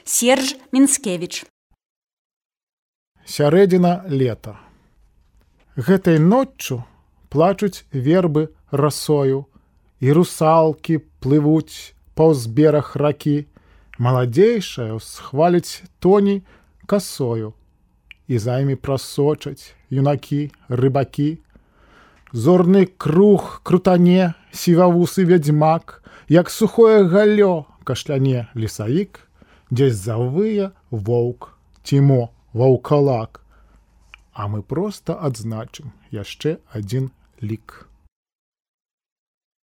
Серж Мінскевіч. Сярэдзіна лета. Гэтай ноччу плачуць вербы расою, і русалкі плывуць паўз бераг ракі. Маладзейшая схваліць тоні касою, і займі прасочаць юнакі, рыбакі. Зорны круг крутане сівавусы вядзьмак, як сухое галлё кашляне лесавік, дзесь завые воўк ці ваўкалак. А мы проста адзначым яшчэ адзін лік.